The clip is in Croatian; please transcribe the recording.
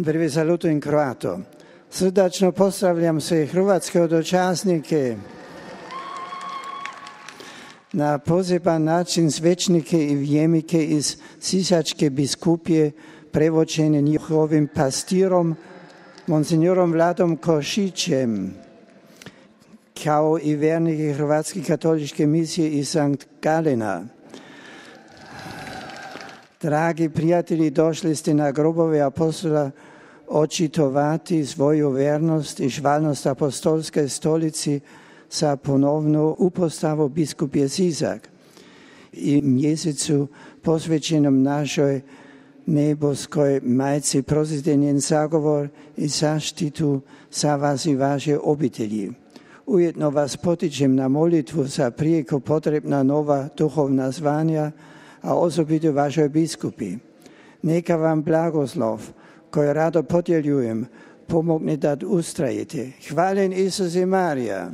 Prvi salutujem Kroato. Srdačno pozdravljam sve hrvatske dočasnike, na poseban način svećnike i vjernike iz Sisačke biskupije, prevođene njihovim pastirom, monsignorom Vladom Košićem, kao i vjernike Hrvatske katoličke misije iz Sankt Galena. Dragi prijatelji, došli ste na grobove apostola očitovati svoju vjernost i žvalnost apostolske stolici sa ponovnu upostavu biskupije Sisak i mjesecu posvećenom našoj neboskoj majci. Prosite njen zagovor i zaštitu za vas i vaše obitelji. Ujedno vas potičem na molitvu za prijeko potrebna nova duhovna zvanja, a osobito vašoj biskupi. Neka vam blagoslov, koji rado podjeljujem, pomogne da ustrajete. Hvaljen Isus i Marija.